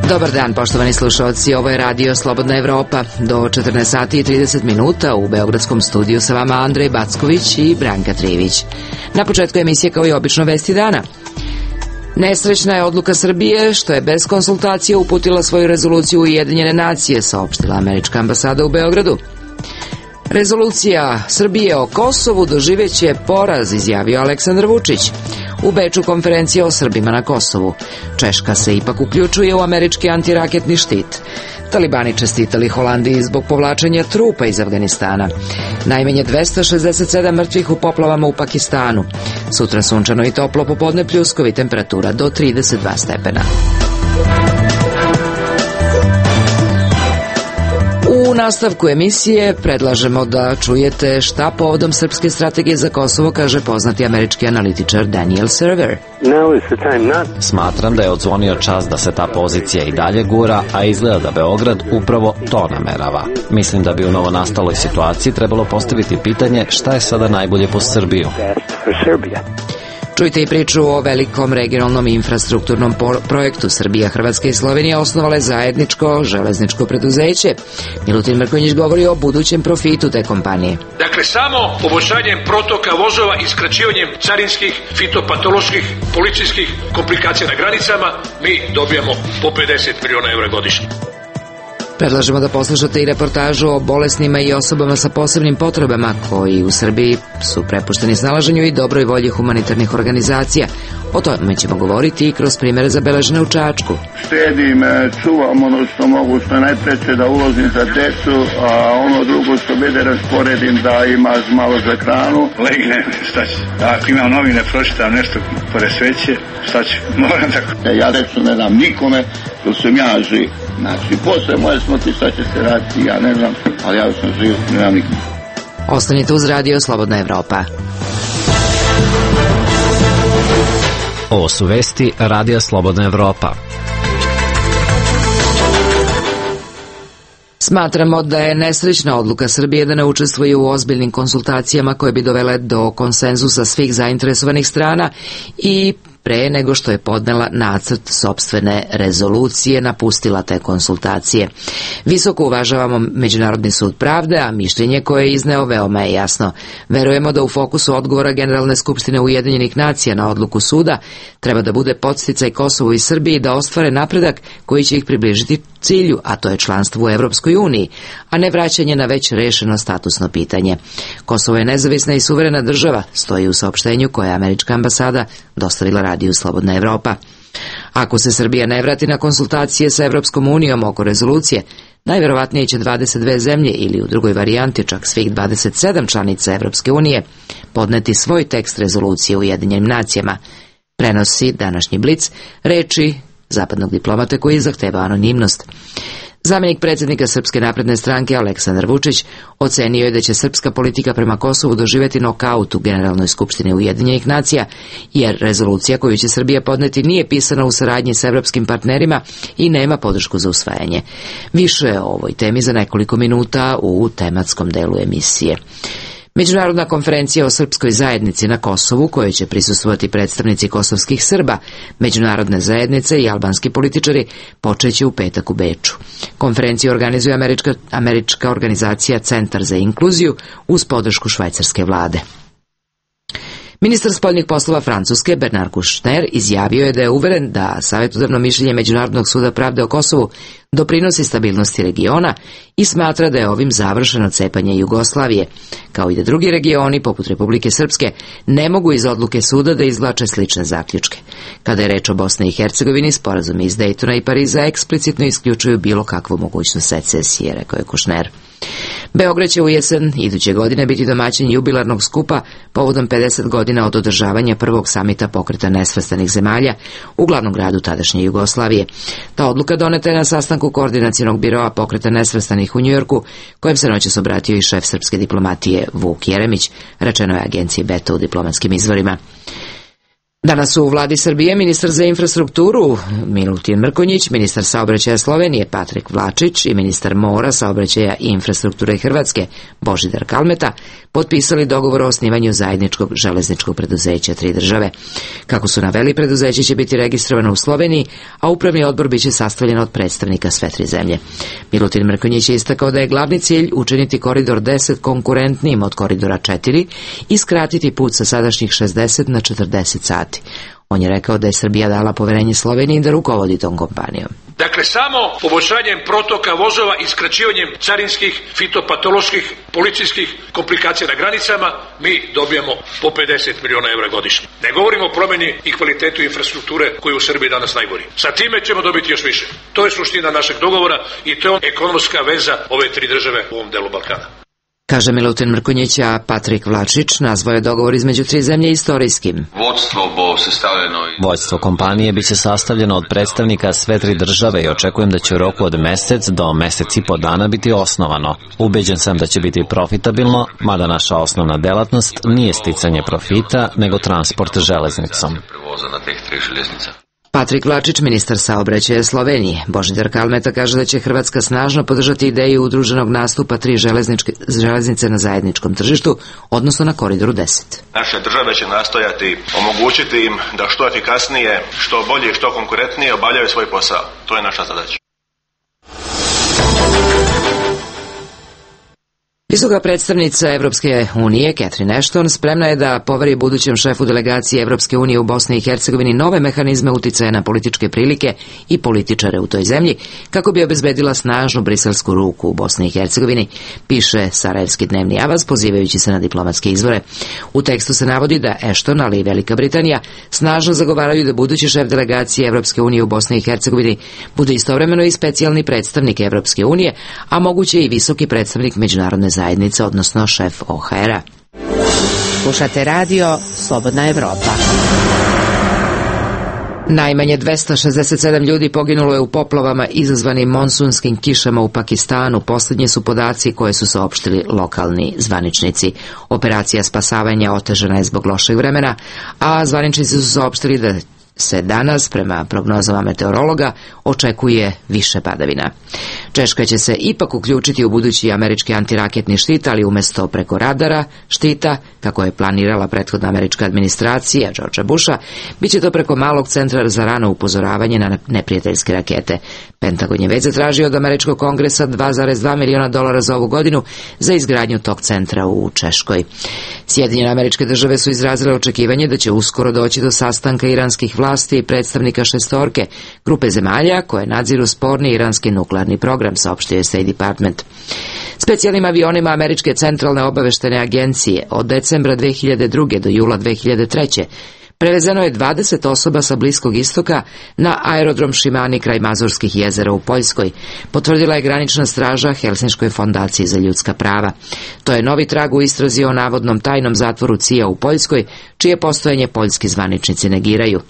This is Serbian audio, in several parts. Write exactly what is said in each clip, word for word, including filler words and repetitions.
Dobar dan, poštovani slušalci, ovo je Radio Slobodna Evropa. Do četrnaest sati i trideset minuta u Beogradskom studiju sa vama Andrej Backović i Branka Trivić. Na početku emisije, kao i obično, vesti dana. Nesrećna je odluka Srbije što je bez konsultacije uputila svoju rezoluciju Ujedinjene nacije, saopštila američka ambasada u Beogradu. Rezolucija Srbije o Kosovu doživeće poraz, izjavio Aleksandar Vučić. U Beču konferencija o Srbima na Kosovu. Češka se ipak uključuje u američki antiraketni štit. Talibani čestitali Holandiji zbog povlačenja trupa iz Afganistana. Najmanje dvesta šezdeset sedam mrtvih u poplavama u Pakistanu. Sutra sunčano i toplo, popodne pljuskovi, temperatura do trideset dva stepena. U nastavku emisije predlažemo da čujete šta povodom srpske strategije za Kosovo kaže poznati američki analitičar Daniel Server. Smatram da je odzvonio čas da se ta pozicija i dalje gura, a izgleda da Beograd upravo to namerava. Mislim da bi u novonastaloj situaciji trebalo postaviti pitanje šta je sada najbolje po Srbiju. Čujte i priču o velikom regionalnom infrastrukturnom projektu. Srbija, Hrvatska i Slovenija osnovale zajedničko železničko preduzeće. Milutin Mrkonjić govori o budućem profitu te kompanije. Dakle, samo poboljšanjem protoka vozova i skraćivanjem carinskih, fitopatoloških, policijskih komplikacija na granicama mi dobijamo po pedeset miliona evra godišnje. Predlažemo da poslušate i reportažu o bolesnima i osobama sa posebnim potrebama koji u Srbiji su prepušteni snalaženju i dobroj volji humanitarnih organizacija. O tome ćemo govoriti i kroz primjere zabeležene u Čačku. Štedim, čuvam ono što mogu, što najpreće da uložim za decu, a ono drugo što bude rasporedim da ima malo za hranu. Legne, šta ću? Ako imam novine, pročitam nešto pored sveće, šta ću? Moram tako. Ja reću ne dam nikome, to sam ja živ. Znači, posle moje smrti šta će se raditi, ja ne znam, ali ja sam živ, ne dam nikome. Ostanite uz Radio Slobodna Evropa. Ovo su vesti Radija Slobodna Evropa. Smatramo da je nesrećna odluka Srbije da ne učestvuje u ozbiljnim konsultacijama koje bi dovele do konsenzusa svih zainteresovanih strana i pre nego što je podnela nacrt sopstvene rezolucije, napustila te konsultacije. Visoko uvažavamo Međunarodni sud pravde, a mišljenje koje je izneo veoma je jasno. Verujemo da u fokusu odgovora Generalne skupštine Ujedinjenih nacija na odluku suda treba da bude podsticaj Kosovu i Srbiji da ostvare napredak koji će ih približiti cilju, a to je članstvo u Evropskoj uniji, a ne vraćanje na već rešeno statusno pitanje. Kosovo je nezavisna i suverena država, stoji u saopštenju koje je američka ambasada dostavila Radiju Slobodna Evropa. Ako se Srbija ne vrati na konsultacije sa Evropskom unijom oko rezolucije, najverovatnije će dvadeset dve zemlje ili u drugoj varijanti čak svih dvadeset sedam članica Evropske unije podneti svoj tekst rezolucije u Ujedinjenim nacijama. Prenosi današnji Blic reči zapadnog diplomate koji zahteva anonimnost. Zamjenik predsjednika Srpske napredne stranke Aleksandar Vučić ocenio je da će srpska politika prema Kosovu doživjeti nokaut u Generalnoj skupštini Ujedinjenih nacija, jer rezolucija koju će Srbija podneti nije pisana u saradnji sa evropskim partnerima i nema podršku za usvajanje. Više o ovoj temi za nekoliko minuta u tematskom delu emisije. Međunarodna konferencija o srpskoj zajednici na Kosovu, kojoj će prisustvovati predstavnici kosovskih Srba, međunarodne zajednice i albanski političari, počeće u petak u Beču. Konferenciju organizuje američka, američka organizacija Centar za inkluziju uz podršku švajcarske vlade. Ministar spoljnih poslova Francuske Bernard Kouchner izjavio je da je uveren da savjetodavno mišljenje Međunarodnog suda pravde o Kosovu doprinosi stabilnosti regiona i smatra da je ovim završeno cepanje Jugoslavije, kao i da drugi regioni, poput Republike Srpske, ne mogu iz odluke suda da izvlače slične zaključke. Kada je reč o Bosni i Hercegovini, sporazumi iz Dejtona i Pariza eksplicitno isključuju bilo kakvu mogućnost secesije, rekao je Kouchner. Beograd će u jesen iduće godine biti domaćin jubilarnog skupa povodom pedeset godina od održavanja prvog samita pokreta nesvrstanih zemalja u glavnom gradu tadašnje Jugoslavije. Ta odluka doneta je na sastanku koordinacionog biroa pokreta nesvrstanih u Njujorku, kojem se noćas obratio i šef srpske diplomatije Vuk Jeremić, rečeno je agenciji Beta u diplomatskim izvorima. Danas su u vladi Srbije ministar za infrastrukturu Milutin Mrkonjić, ministar saobraćaja Slovenije Patrik Vlačić i ministar mora, saobraćaja i infrastrukture Hrvatske Božidar Kalmeta potpisali dogovor o osnivanju zajedničkog železničkog preduzeća tri države. Kako su naveli, preduzeće će biti registrovano u Sloveniji, a upravni odbor biće sastavljen od predstavnika sve tri zemlje. Milutin Mrkonjić je istakao da je glavni cilj učiniti koridor deset konkurentnijim od koridora četiri i skratiti put sa sadašnjih šezdeset na četrdeset sati. On je rekao da je Srbija dala poverenje Sloveniji da rukovodi tom kompanijom. Dakle, samo poboljšanjem protoka vozova i skraćivanjem carinskih, fitopatoloških, policijskih komplikacija na granicama mi dobijamo po pedeset miliona evra godišnje. Ne govorimo o promjeni i kvalitetu infrastrukture koji je u Srbiji danas najgori. Sa time ćemo dobiti još više. To je suština našeg dogovora i to je ekonomska veza ove tri države u ovom delu Balkana. Kaže Milutin Mrkonjić, a Patrik Vlačić nazvao je dogovor između tri zemlje istorijskim. Vođstvo kompanije biće sastavljeno od predstavnika sve tri države i očekujem da će u roku od mesec do mesec i po dana biti osnovano. Ubeđen sam da će biti profitabilno, mada naša osnovna delatnost nije sticanje profita, nego transport železnicom. Patrik Vlačić, ministar saobraćaja Slovenije. Božidar Kalmeta kaže da će Hrvatska snažno podržati ideju udruženog nastupa tri železnice na zajedničkom tržištu, odnosno na koridoru deset. Naše države će nastojati omogućiti im da što efikasnije, što bolje i što konkurentnije obavljaju svoj posao. To je naša zadaća. Visoka predstavnica Evropske unije, Catherine Ashton, spremna je da poveri budućem šefu delegacije Evropske unije u Bosni i Hercegovini nove mehanizme uticaja na političke prilike i političare u toj zemlji, kako bi obezbedila snažnu briselsku ruku u Bosni i Hercegovini, piše Sarajevski dnevni avaz, pozivajući se na diplomatske izvore. U tekstu se navodi da Ashton, ali i Velika Britanija, snažno zagovaraju da budući šef delegacije Evropske unije u Bosni i Hercegovini bude istovremeno i specijalni predstavnik Evropske unije, a moguće i visoki predstavnik međunarodne zajednice, odnosno šef O H R-a. Slušate radio Slobodna Evropa. Najmanje dvesta šezdeset sedam ljudi poginulo je u poplavama izazvanim monsunskim kišama u Pakistanu. Posljednji su podaci koje su saopštili lokalni zvaničnici. Operacija spasavanja otežana je zbog lošeg vremena, a zvaničnici su saopštili da se danas, prema prognozama meteorologa, očekuje više padavina. Češka će se ipak uključiti u budući američki antiraketni štit, ali umjesto preko radara štita, kako je planirala prethodna američka administracija Georgea Busha, bit će to preko malog centra za rano upozoravanje na neprijateljske rakete. Pentagon je već zatražio od američkog kongresa dva zarez dva miliona dolara za ovu godinu za izgradnju tog centra u Češkoj. Sjedinjene Američke Države su izrazile očekivanje da će uskoro doći do sastanka iranskih vlasti i predstavnika šestorke, grupe zemalja koje nadziru sporni iranski nuklearni program, saopštio je State Department. Specijalnim avionima Američke centralne obaveštene agencije od decembra dve hiljade druge do jula dve hiljade treće prevezeno je dvadeset osoba sa Bliskog istoka na aerodrom Šimani kraj Mazurskih jezera u Poljskoj, potvrdila je granična straža Helsinškoj fondaciji za ljudska prava. To je novi trag u istrazi o navodnom tajnom zatvoru C I A u Poljskoj, čije postojanje poljski zvaničnici negiraju.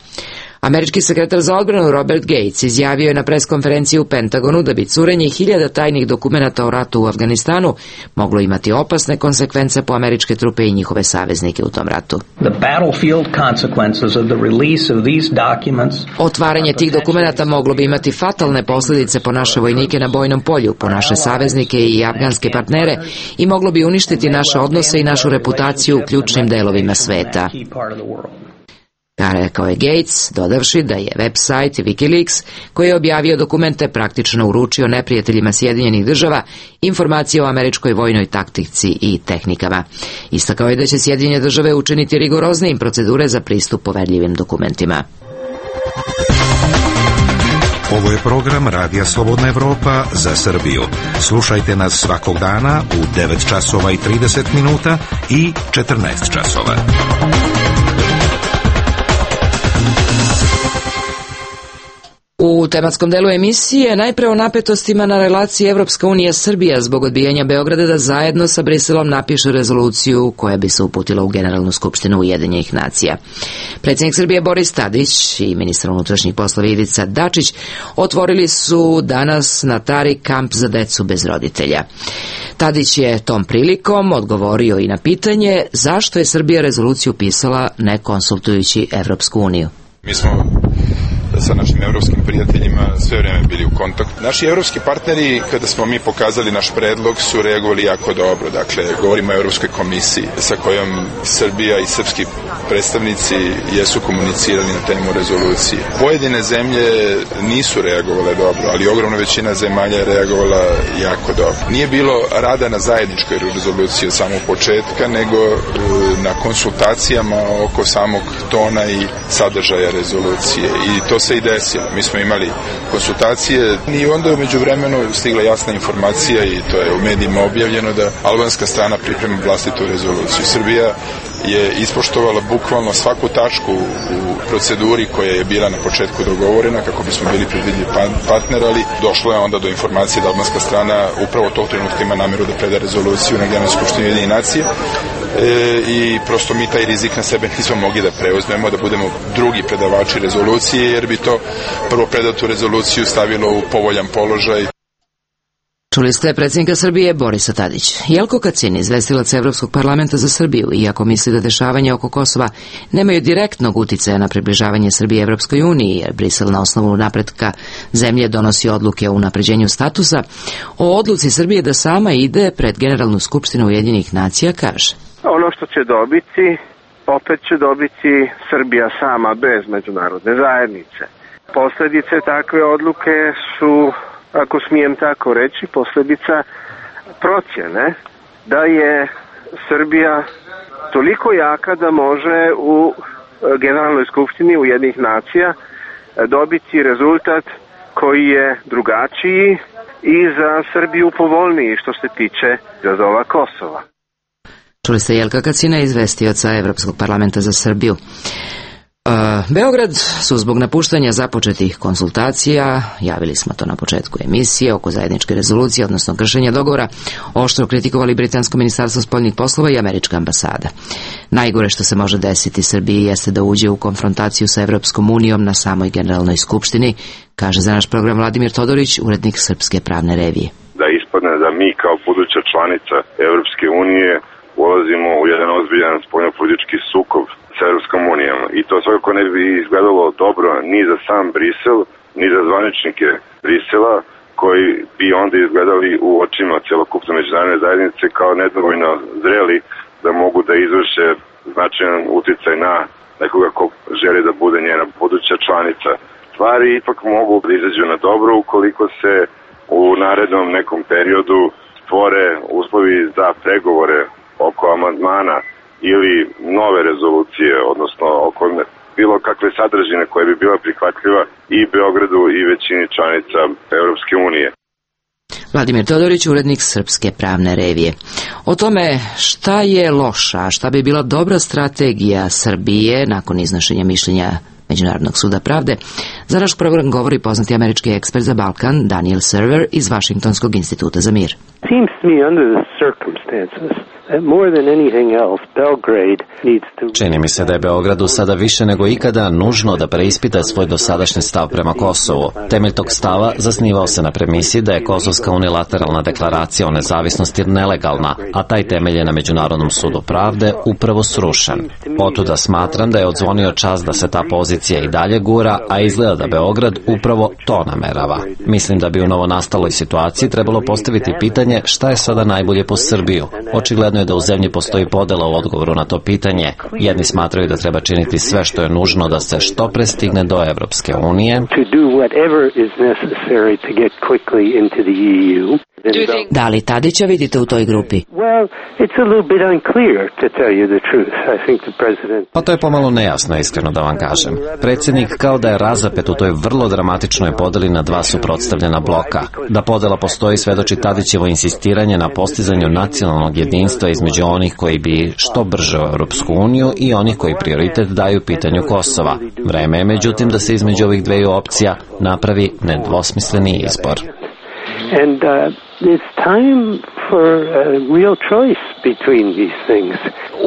Američki sekretar za odbranu Robert Gates izjavio je na preskonferenciji u Pentagonu da bi curenje hiljada tajnih dokumenata o ratu u Afganistanu moglo imati opasne konsekvence po američke trupe i njihove saveznike u tom ratu. Otvaranje tih dokumenata moglo bi imati fatalne posljedice po naše vojnike na bojnom polju, po naše saveznike i afganske partnere i moglo bi uništiti naše odnose i našu reputaciju u ključnim delovima sveta. Rekao je Gates, dodavši da je website Wikileaks, koji je objavio dokumente, praktično uručio neprijateljima Sjedinjenih država informacije o američkoj vojnoj taktici i tehnikama. Istakao je da će Sjedinjene države učiniti rigoroznijim procedure za pristup poverljivim dokumentima. Ovo je program Radija Slobodna Evropa za Srbiju. Slušajte nas svakog dana u devet časova i trideset minuta i četrnaest časova. U tematskom delu emisije najpre o napetostima na relaciji Evropska unija-Srbija zbog odbijanja Beograda da zajedno sa Briselom napiše rezoluciju koja bi se uputila u Generalnu skupštinu Ujedinjenih nacija. Predsjednik Srbije Boris Tadić i ministar unutrašnjih poslova Ivica Dačić otvorili su danas na Tari kamp za decu bez roditelja. Tadić je tom prilikom odgovorio i na pitanje zašto je Srbija rezoluciju pisala ne konsultujući Evropsku uniju. Mi smo sa našim evropskim prijateljima sve vrijeme bili u kontaktu. Naši evropski partneri, kada smo mi pokazali naš predlog, su reagovali jako dobro. Dakle, govorimo o Evropskoj komisiji sa kojom Srbija i srpski predstavnici jesu komunicirali na temu rezolucije. Pojedine zemlje nisu reagovale dobro, ali ogromna većina zemalja je reagovala jako dobro. Nije bilo rada na zajedničkoj rezoluciji od samog početka, nego na konsultacijama oko samog tona i sadržaja rezolucije. I to se i desilo. Mi smo imali konsultacije i onda je među vremenu stigla jasna informacija i to je u medijima objavljeno da albanska strana priprema vlastitu rezoluciju. Srbija je ispoštovala bukvalno svaku tačku u proceduri koja je bila na početku dogovorena kako bismo bili predvidljiv partner, ali došlo je onda do informacije da albanska strana upravo tog trenutka ima nameru da preda rezoluciju na Generalnoj skupštini Ujedinjenih nacija. E, i prosto mi taj rizik na sebe nismo mogli da preuzmemo, da budemo drugi predavači rezolucije, jer bi to prvo predatu rezoluciju stavilo u povoljan položaj. Čuli ste predsjednika Srbije Borisa Tadića. Jelko Kacin, izvestilac Evropskog parlamenta za Srbiju, iako misli da dešavanja oko Kosova nemaju direktnog uticaja na približavanje Srbije Evropskoj uniji, jer Brisel na osnovu napretka zemlje donosi odluke o unapređenju statusa, o odluci Srbije da sama ide pred Generalnu skupštinu Ujedinjenih nacija kaže: ono što će dobiti, opet će dobiti Srbija sama bez međunarodne zajednice. Posljedice takve odluke su, ako smijem tako reći, posljedica procjene da je Srbija toliko jaka da može u Generalnoj skupštini Ujedinjenih nacija dobiti rezultat koji je drugačiji i za Srbiju povoljniji što se tiče izazova Kosova. Čuli ste Jelka Kacina, izvestioca Evropskog parlamenta za Srbiju. Beograd su zbog napuštanja započetih konsultacija, javili smo to na početku emisije, oko zajedničke rezolucije, odnosno kršenja dogovora, oštro kritikovali Britansko ministarstvo spoljnih poslova i Američka ambasada. Najgore što se može desiti Srbiji jeste da uđe u konfrontaciju sa Evropskom unijom na samoj Generalnoj skupštini, kaže za naš program Vladimir Todorić, urednik Srpske pravne revije. Da ispadne da mi kao buduća članica Evropske unije ulazimo u jedan ozbiljan spoljnopolitički sukob sa Evropskom unijom. I to svakako ne bi izgledalo dobro ni za sam Brisel, ni za zvaničnike Brisela, koji bi onda izgledali u očima celokupne međunarodne zajednice kao nedovoljno zreli da mogu da izvrše značajan uticaj na nekoga ko želi da bude njena buduća članica. Stvari ipak mogu da izađu na dobro ukoliko se u narednom nekom periodu stvore uslovi za pregovore oko amandmana ili nove rezolucije, odnosno oko bilo kakve sadržine koje bi bila prihvatljiva i Beogradu i većini članica Evropske unije. Vladimir Todorić, urednik Srpske pravne revije. O tome šta je loša, a šta bi bila dobra strategija Srbije nakon iznošenja mišljenja Međunarodnog suda pravde, za naš program govori poznati američki ekspert za Balkan Daniel Server iz Vašingtonskog instituta za mir. Seems to me under the circumstances Čini mi se da je Beogradu sada više nego ikada nužno da preispita svoj dosadašnji stav prema Kosovu. Temelj tog stava zasnivao se na premisi da je Kosovska unilateralna deklaracija o nezavisnosti nelegalna, a taj temelj je na Međunarodnom sudu pravde upravo srušen. Otuda smatram da je odzvonio čas da se ta pozicija i dalje gura, a izgleda da Beograd upravo to namerava. Mislim da bi u novonastaloj situaciji trebalo postaviti pitanje šta je sada najbolje po Srbiju. Očigledno je da u zemlji postoji podela u odgovoru na to pitanje. Jedni smatraju da treba činiti sve što je nužno da se što pre stigne do Evropske unije. Da li Tadića vidite u toj grupi? Pa to je pomalo nejasno, iskreno da vam kažem. Predsjednik kao da je razapet u toj vrlo dramatičnoj podeli na dva suprotstavljena bloka. Da podela postoji svedoči Tadićevo insistiranje na postizanju nacionalnog jedinstva između onih koji bi što brže u Europsku uniju i onih koji prioritet daju pitanju Kosova. Vreme je međutim da se između ovih dveju opcija napravi nedvosmisleni izbor. And uh, it's time for a real choice between these things.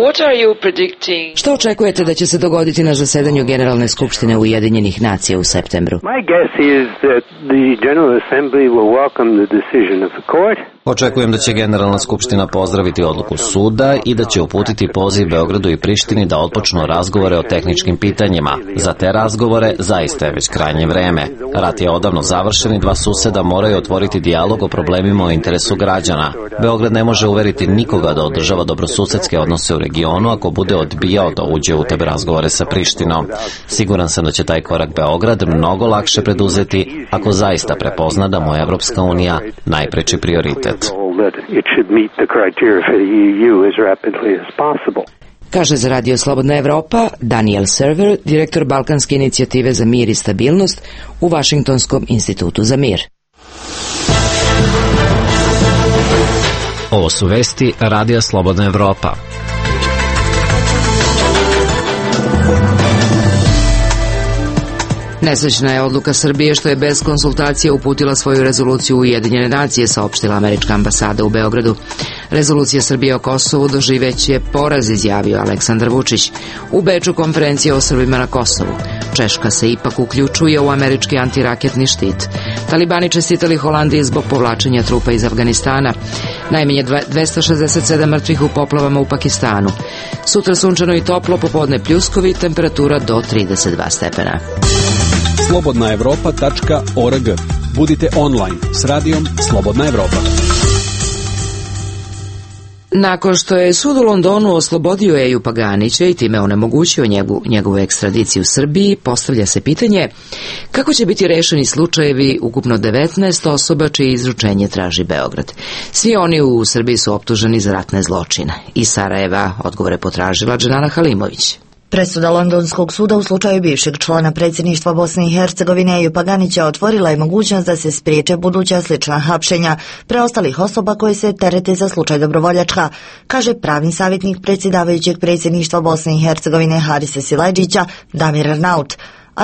What are you predicting? Što očekujete da će se dogoditi na zasedanju Generalne skupštine Ujedinjenih nacija u septembru? My guess is that the General Assembly will welcome the decision of the court. Očekujem da će Generalna skupština pozdraviti odluku suda i da će uputiti poziv Beogradu i Prištini da otpočnu razgovore o tehničkim pitanjima. Za te razgovore zaista je već krajnje vreme. Rat je odavno završen i dva suseda moraju otvoriti dijalog o problemima o interesu građana. Beograd ne može uveriti nikoga da održava dobrosusedske odnose u regionu ako bude odbijao da uđe u te razgovore sa Prištinom. Siguran sam da će taj korak Beograd mnogo lakše preduzeti ako zaista prepozna da mu je Evropska unija najpreči prioritet. Kaže za Radio Slobodna Evropa Daniel Server, direktor Balkanske inicijative za mir i stabilnost u Vašingtonskom institutu za mir. Ovo su vesti Radija Slobodna Evropa. Nesrećna je odluka Srbije što je bez konsultacije uputila svoju rezoluciju u Ujedinjene nacije, saopštila američka ambasada u Beogradu. Rezolucija Srbije o Kosovu doživeće poraz, izjavio Aleksandar Vučić. U Beču konferencija o Srbima na Kosovu. Češka se ipak uključuje u američki antiraketni štit. Talibani čestitali Holandiji zbog povlačenja trupa iz Afganistana. Najmanje dvesta šezdeset sedam mrtvih u poplavama u Pakistanu. Sutra sunčano i toplo, popodne pljuskovi, temperatura do trideset dva stepena. slobodna evropa tačka org. Budite online s radijom Slobodna Evropa. Nakon što je sud u Londonu oslobodio Eju Paganića i time onemogućio njegu, njegovu ekstradiciju u Srbiji, postavlja se pitanje kako će biti rešeni slučajevi ukupno devetnaest osoba čije izručenje traži Beograd. Svi oni u Srbiji su optuženi za ratne zločine. Iz Sarajeva odgovore potražila Dženana Halimović. Presuda Londonskog suda u slučaju bivšeg člana predsjedništva Bosne i Hercegovine Eju Paganića otvorila je mogućnost da se spriječe buduća slična hapšenja preostalih osoba koje se terete za slučaj Dobrovoljačka, kaže pravni savjetnik predsjedavajućeg predsjedništva Bosne i Hercegovine Harise Silajdžića Damir Arnaut.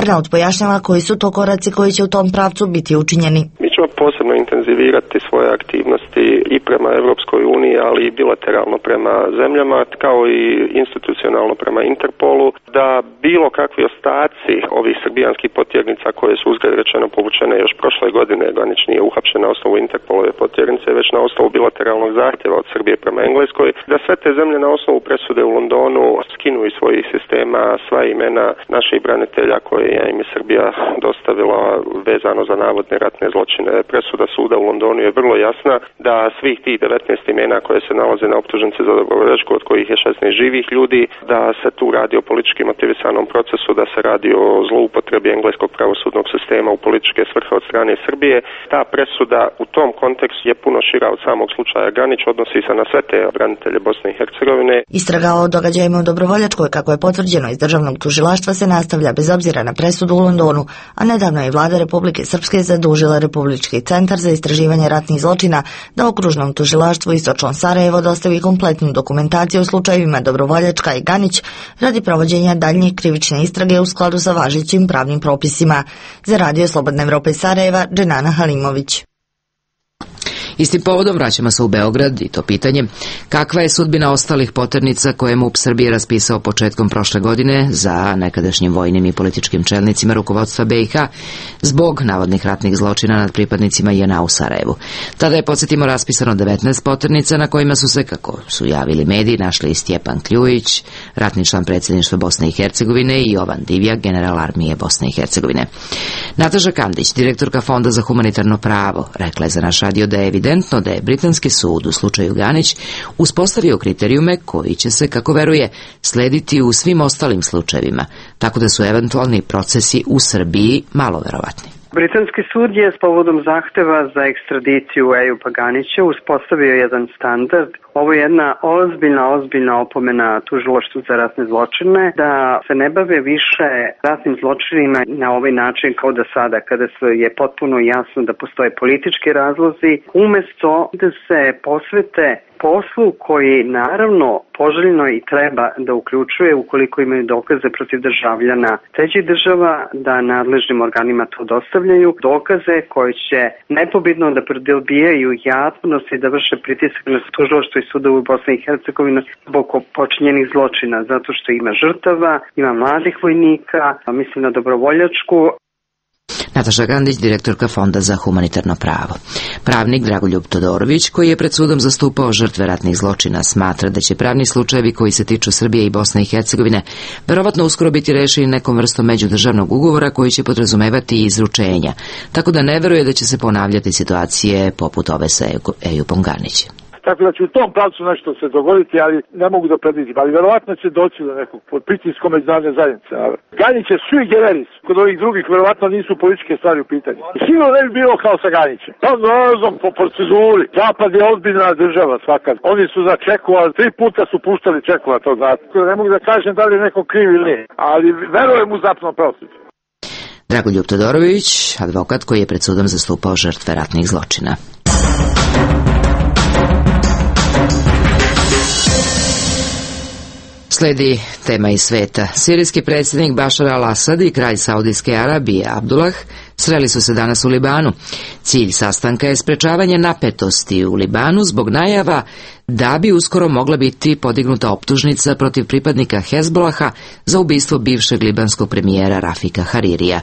Arnaut pojašnjava koji su to koraci koji će u tom pravcu biti učinjeni. Mi ćemo posebno intenzivirati svoje aktivnosti i prema Evropskoj uniji, ali i bilateralno prema zemljama, kao i institucionalno prema Interpolu, da bilo kakvi ostaci ovih srbijanskih potjernica koje su uzgled rečeno povučene još prošle godine, Ganić nije uhapšen na osnovu Interpolove potjernice, već na osnovu bilateralnog zahtjeva od Srbije prema Engleskoj, da sve te zemlje na osnovu presude u Londonu skinu iz svojih sistema sva imena naših branitelja koje je im Srbija dostavila vezano za navodne ratne zločine. Presuda suda u Londonu je vrlo jasna da svih tih devetnaest imena koje se nalaze na optužnici za Dobrovoljačku, od kojih je šesnaest živih ljudi, da se tu radi o politički motivisanom procesu, da se radi o zloupotrebi engleskog pravosudnog sistema u političke svrhe od strane Srbije. Ta presuda u tom kontekstu je puno šira od samog slučaja Ganić, odnosi se na sve te branitelje Bosne i Hercegovine. Istraga o događajima u Dobrovoljačkoj, kako je potvrđeno iz državnog tužilaštva, se nastavlja bez obzira na presudu u Londonu, a nedavno je vlada Republike Srpske zadužila Republički centar za istraživanje ratnih zločina da okružnom tužilaštvu Istočno Sarajevo dostavi kompletnu dokumentaciju u slučajevima Dobrovoljačka i Ganić radi provođenja daljnje krivične istrage u skladu sa važećim pravnim propisima. Za Radio Slobodna Evropa iz Sarajeva, Dženana Halimović. Istim povodom vraćamo se u Beograd i to pitanje kakva je sudbina ostalih poternica koje je MUP Srbije raspisao početkom prošle godine za nekadašnjim vojnim i političkim čelnicima rukovodstva B i H zbog navodnih ratnih zločina nad pripadnicima J N A u Sarajevu. Tada je, podsjetimo, raspisano devetnaest poternica na kojima su se, kako su javili mediji, našli i Stjepan Kljujić, ratni član predsjedništva Bosne i Hercegovine, i Jovan Divjak, general armije Bosne i Hercegovine. Nataša Kandić, direktorka Fonda za humanitarno pravo, rekla je za naš radio da je evidentno da je britanski sud u slučaju Ganić uspostavio kriterijume koji će se, kako veruje, slediti u svim ostalim slučajevima, tako da su eventualni procesi u Srbiji malo verovatni. Britanski sud je s povodom zahteva za ekstradiciju Ejuba Ganića uspostavio jedan standard. Ovo je jedna ozbiljna, ozbiljna opomena tužilaštvu za ratne zločine da se ne bave više ratnim zločinima na ovaj način kao da sada, kada je potpuno jasno da postoje politički razlozi, umesto da se posvete poslu koji naravno poželjno i treba da uključuje, ukoliko imaju dokaze protiv državljana trećih država, da nadležnim organima to dostavljaju, dokaze koje će nepobitno da prodobijaju javnost i da vrše pritisak na tužilaštvo i sudovu u Bosni i Hercegovini zbog počinjenih zločina, zato što ima žrtava, ima mladih vojnika, mislim na dobrovoljačku. Nataša Gandić, direktorka Fonda za humanitarno pravo. Pravnik Dragoljub Todorović, koji je pred sudom zastupao žrtve ratnih zločina, smatra da će pravni slučajevi koji se tiču Srbije i Bosne i Hercegovine verovatno uskoro biti rešeni nekom vrstom međudržavnog ugovora koji će podrazumevati i izručenja, tako da ne veruje da će se ponavljati situacije poput ove sa Ejubom Ganićem. Tako da će u tom pravcu nešto se dogoditi, ali ne mogu da predvidim. Ali verovatno će doći do nekog pod pritiskom međunarodne zajednice. Ganić je sui generis. Kod ovih drugih verovatno nisu političke stvari u pitanju. Sigurno ne bi bilo kao sa Ganićem. Pa nazom po proceduri. Zapad je ozbiljna država svakad. Oni su za Čekova, tri puta su puštali Čekova, to znate. Ne mogu da kažem da li je neko kriv ili ne. Ali verujem u zapno pravosuđe. Dragoljub Todorović, advokat koji je pred sudom zastupao žrtve ratnih zločina. Sledi tema iz sveta. Sirijski predsjednik Bašar al-Asad i kralj Saudijske Arabije Abdullah sreli su se danas u Libanu. Cilj sastanka je sprečavanje napetosti u Libanu zbog najava da bi uskoro mogla biti podignuta optužnica protiv pripadnika Hezbolaha za ubistvo bivšeg libanskog premijera Rafika Haririja.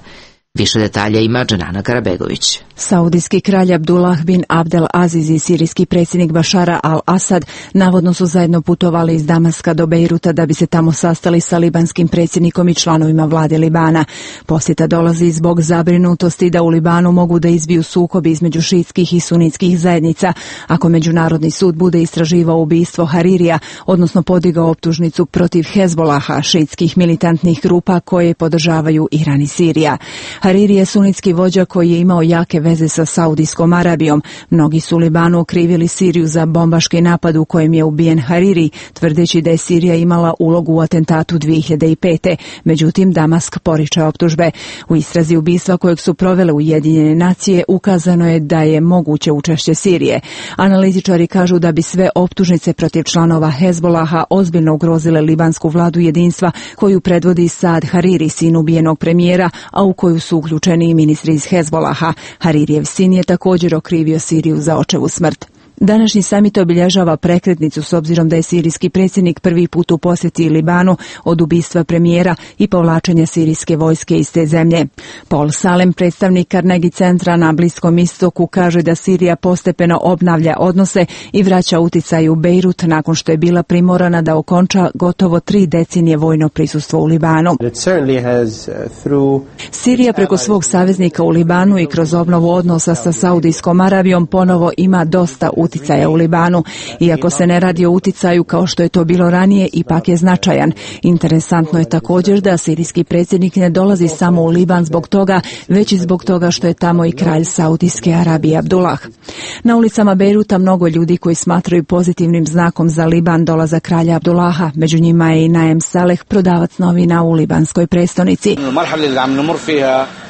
Više detalja ima Dženana Karabegović. Saudijski kralj Abdullah bin Abdel Aziz i sirijski predsjednik Bašara al-Asad navodno su zajedno putovali iz Damaska do Bejruta da bi se tamo sastali sa libanskim predsjednikom i članovima vlade Libana. Posjeta dolazi zbog zabrinutosti da u Libanu mogu da izbiju sukobi između šiitskih i sunitskih zajednica ako Međunarodni sud bude istraživao ubistvo Haririja, odnosno podigao optužnicu protiv Hezbolaha, šiitskih militantnih grupa koje podržavaju Iran i Sirija. Hariri je sunitski vođa koji je imao jake veze sa Saudijskom Arabijom. Mnogi su u Libanu okrivili Siriju za bombaški napad u kojem je ubijen Hariri, tvrdeći da je Sirija imala ulogu u atentatu dvije hiljade pete. Međutim, Damask poriče optužbe. U istrazi ubistva kojeg su provele Ujedinjene nacije ukazano je da je moguće učešće Sirije. Analitičari kažu da bi sve optužnice protiv članova Hezbolaha ozbiljno ugrozile libansku vladu jedinstva koju predvodi Saad Hariri, sin ubijenog premijera, a u koju su uključeni i ministri iz Hezbolaha. Haririjev sin je također okrivio Siriju za očevu smrt. Današnji samit obilježava prekretnicu s obzirom da je sirijski predsjednik prvi put u posjeti Libanu od ubistva premijera i povlačenja sirijske vojske iz te zemlje. Paul Salem, predstavnik Carnegie centra na Bliskom istoku, kaže da Sirija postepeno obnavlja odnose i vraća uticaj u Bejrut nakon što je bila primorana da okonča gotovo tri decenije vojno prisustvo u Libanu. Sirija preko svog saveznika u Libanu i kroz obnovu odnosa sa Saudijskom Arabijom ponovo ima dosta utjecaja uticaja u Libanu. Iako se ne radi o uticaju kao što je to bilo ranije, ipak je značajan. Interesantno je također da sirijski predsjednik ne dolazi samo u Liban zbog toga, već i zbog toga što je tamo i kralj Saudijske Arabije Abdullah. Na ulicama Bejruta mnogo ljudi koji smatraju pozitivnim znakom za Liban dolazak kralja Abdullaha. Među njima je i Naem Saleh, prodavac novina u libanskoj prestonici.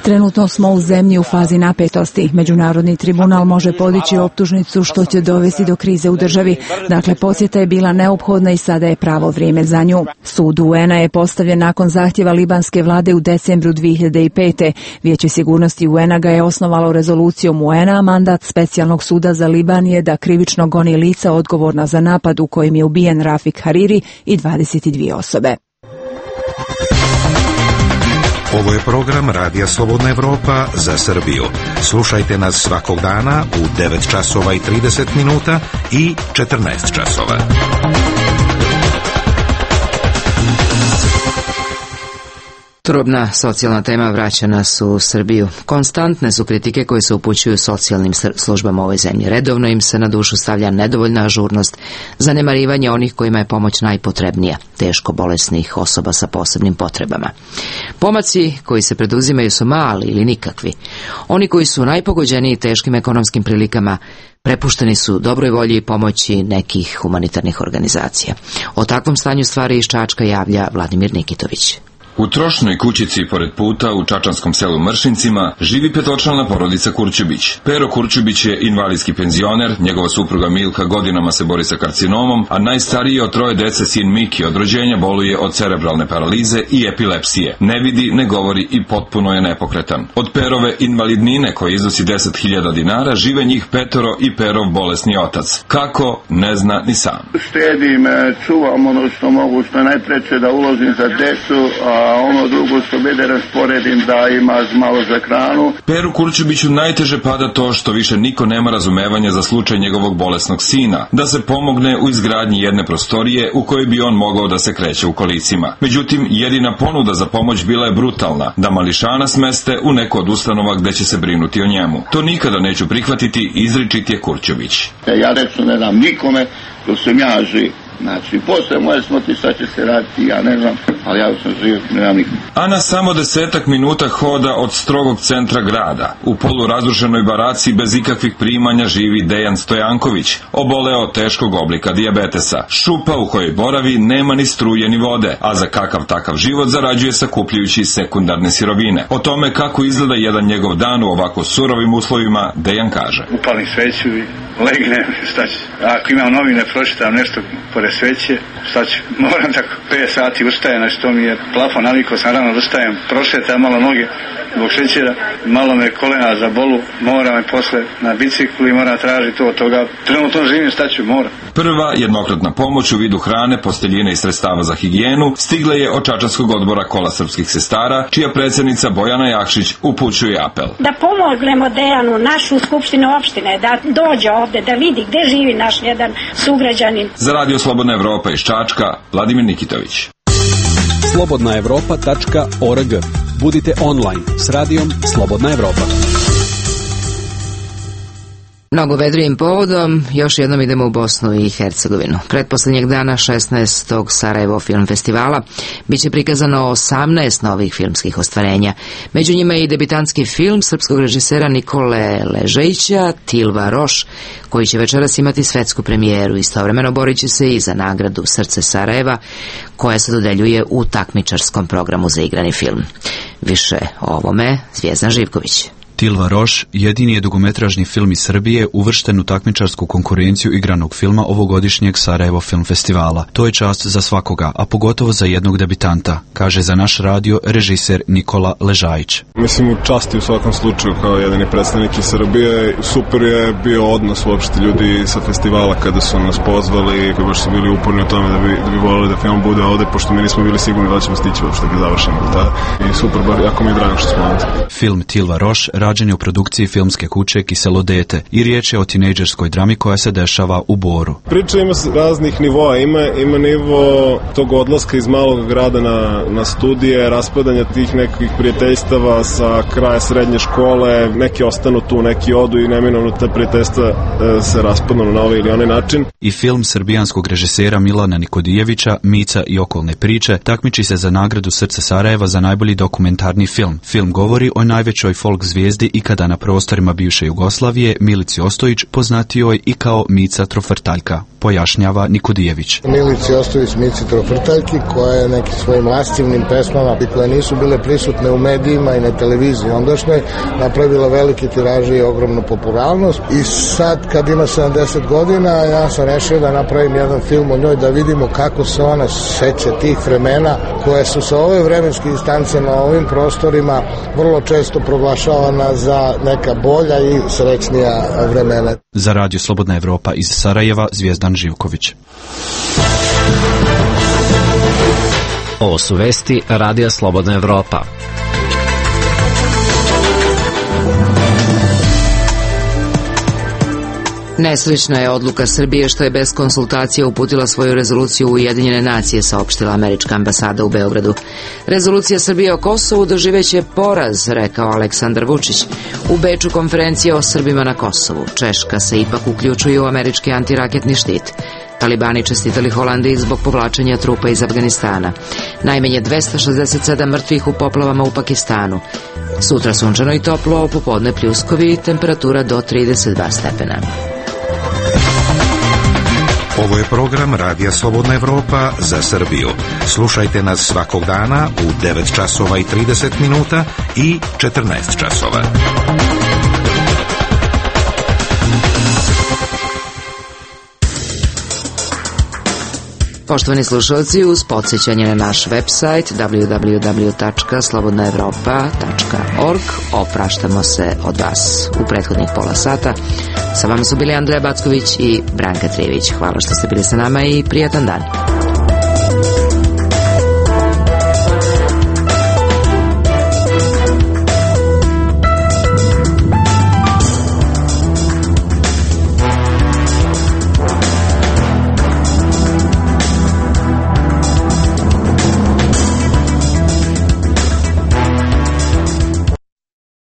Trenutno smo u zemlji u fazi napetosti. Međunarodni tribunal može podići optužnicu što će dovesti do krize u državi. Dakle, posjeta je bila neophodna i sada je pravo vrijeme za nju. Sud U N-a je postavljen nakon zahtjeva libanske vlade u decembru dvije hiljade pete. Vijeće sigurnosti U N-a ga je osnovalo rezolucijom U N-a, a mandat specijalnog suda za Liban je da krivično goni lica odgovorna za napad u kojem je ubijen Rafik Hariri i dvadeset dvije osobe. Ovo je program Radija Slobodna Evropa za Srbiju. Slušajte nas svakog dana u devet časova i trideset minuta i četrnaest časova. Turobna socijalna tema vraća nas u Srbiju. Konstantne su kritike koje se upućuju socijalnim službama u ovoj zemlji. Redovno im se na dušu stavlja nedovoljna ažurnost, zanemarivanje onih kojima je pomoć najpotrebnija, teško bolesnih osoba sa posebnim potrebama. Pomaci koji se preduzimaju su mali ili nikakvi. Oni koji su najpogođeniji teškim ekonomskim prilikama prepušteni su dobroj volji i pomoći nekih humanitarnih organizacija. O takvom stanju stvari iz Čačka javlja Vladimir Nikitović. U trošnoj kućici pored puta u čačanskom selu Mršincima živi petočlana porodica Kurčubić. Pero Kurčubić je invalidski penzioner, njegova supruga Milka godinama se bori sa karcinomom, a najstariji od troje dece sin Miki od rođenja boluje od cerebralne paralize i epilepsije. Ne vidi, ne govori i potpuno je nepokretan. Od Perove invalidnine koja iznosi deset hiljada dinara žive njih petoro i Perov bolesni otac. Kako, ne zna ni sam. Štedim, čuvam ono što mogu, što najpreće da uložim za decu, a a ono drugo što bede rasporedim da ima malo za hranu. Peru Kurčubiću najteže pada to što više niko nema razumevanja za slučaj njegovog bolesnog sina, da se pomogne u izgradnji jedne prostorije u kojoj bi on mogao da se kreće u kolicima. Međutim, jedina ponuda za pomoć bila je brutalna, da mališana smeste u neku od ustanova gde će se brinuti o njemu. To nikada neću prihvatiti, izričit je Kurčubić. Ja reću ne dam nikome, to sam ja živ. Znači, posle moje smrti šta će se raditi, ja ne znam, ali ja sam živ, ne znam nikom. A na samo desetak minuta hoda od strogog centra grada, u polurazrušenoj baraci bez ikakvih primanja živi Dejan Stojanković, oboleo od teškog oblika dijabetesa. Šupa u kojoj boravi nema ni struje ni vode, a za kakav takav život zarađuje sakupljujući sekundarne sirovine. O tome kako izgleda jedan njegov dan u ovako surovim uslovima, Dejan kaže. Upalim sveću i legnem, šta ću. Ako imam novine, pročitam nešto pored sveće, šta ću. Moram tako pet sati ustajem, znači to mi je plafon, navikao sam rano da ustajem, prošetam malo noge zbog šećera, malo me kolena za bolu, moram me posle na biciklu i moram tražiti to od toga. Trenutno živim, šta ću, moram. Prva jednokratna pomoć u vidu hrane, posteljine i sredstava za higijenu stigla je od Čačanskog odbora Kola srpskih sestara, čija predsjednica Bojana Jakšić upućuje apel. Da pomognemo Dejanu, našu skupštinu opštine, da dođe ovde, da vidi gde živi naš jedan sugrađanin. Za Radio Slobodna Evropa iz Čačka, Vladimir Nikitović. slobodna evropa tačka org. Budite online s radijom Slobodna Evropa. Mnogo vedrijim povodom, još jednom idemo u Bosnu i Hercegovinu. Pretposlednjeg dana šesnaestog Sarajevo film festivala biće prikazano osamnaest novih filmskih ostvarenja. Među njima je i debitanski film srpskog režisera Nikole Ležejića, Tilva Roš, koji će večeras imati svetsku premijeru. Istovremeno borit će se i za nagradu Srce Sarajeva, koja se dodeljuje u takmičarskom programu za igrani film. Više o ovome Zvijezdan Živković. Tilva Roš jedini je dugometražni film iz Srbije uvršten u takmičarsku konkurenciju igranog filma ovogodišnjeg Sarajevo film festivala. To je čast za svakoga, a pogotovo za jednog debitanta, kaže za naš radio režiser Nikola Ležajić. Mislim, u časti u svakom slučaju kao jedini predstavnik iz Srbije. Super je bio odnos uopšte ljudi sa festivala kada su nas pozvali, koji baš su bili uporni o tome da bi, da bi volili da film bude ovde, pošto mi nismo bili sigurni da ćemo stići uopšte da završimo. Da? I super, bar jako mi je drago što smo ovde. Film Tilva Roš rađen je u produkciji filmske kuće Kiselo dete i riječ je o tinejdžerskoj drami koja se dešava u Boru. Priča ima raznih nivoa, ima, ima nivo tog odlaska iz malog grada na, na studije, raspadanja tih nekih prijateljstava sa kraja srednje škole, neki ostanu tu, neki odu i neminovno te prijateljstva e, se raspadnu na ovaj ili onaj način. I film srbijanskog režisera Milana Nikodijevića, Mica i okolne priče, takmiči se za nagradu Srce Sarajeva za najbolji dokumentarni film. Film govori o najvećoj folk zvijezdi ikada na prostorima bivše Jugoslavije, Milici Ostojić, poznatijoj i kao Mica Trofrtaljka, pojašnjava Nikodijević. Milici Ostojić, Mici Trofrtaljki, koja je nekim svojim lastivnim pesmama i koje nisu bile prisutne u medijima i na televiziji ondašnjoj, napravila velike tiraže i ogromnu popularnost. I sad, kad ima sedamdeset godina, ja sam rešio da napravim jedan film o njoj, da vidimo kako se ona seća tih vremena koje su sa ove vremenske distance na ovim prostorima vrlo često proglašavana za neka bolja i srećnija vremena. Za Radio Slobodna Evropa iz Sarajeva, Zvijezdan Živković. Ovo su vesti Radija Slobodna Evropa. Nesrećna je odluka Srbije što je bez konsultacija uputila svoju rezoluciju u Ujedinjene nacije, saopštila američka ambasada u Beogradu. Rezolucija Srbije o Kosovu doživeće poraz, rekao Aleksandar Vučić. U Beču konferencija o Srbima na Kosovu. Češka se ipak uključuje u američki antiraketni štit. Talibani čestitali Holandiji zbog povlačenja trupa iz Afganistana. Najmanje dvesta šezdeset sedam mrtvih u poplavama u Pakistanu. Sutra sunčano i toplo, popodne pljuskovi, temperatura do trideset dva stepena. Ovo je program Radija Slobodna Evropa za Srbiju. Slušajte nas svakog dana u devet časova i trideset minuta i četrnaest časova. Poštovani slušalci, uz podsjećanje na naš website w w w tačka slobodna evropa tačka org opraštamo se od vas u prethodnih pola sata. Sa vama su bili Andreja Backović i Branka Trijević. Hvala što ste bili sa nama i prijatan dan.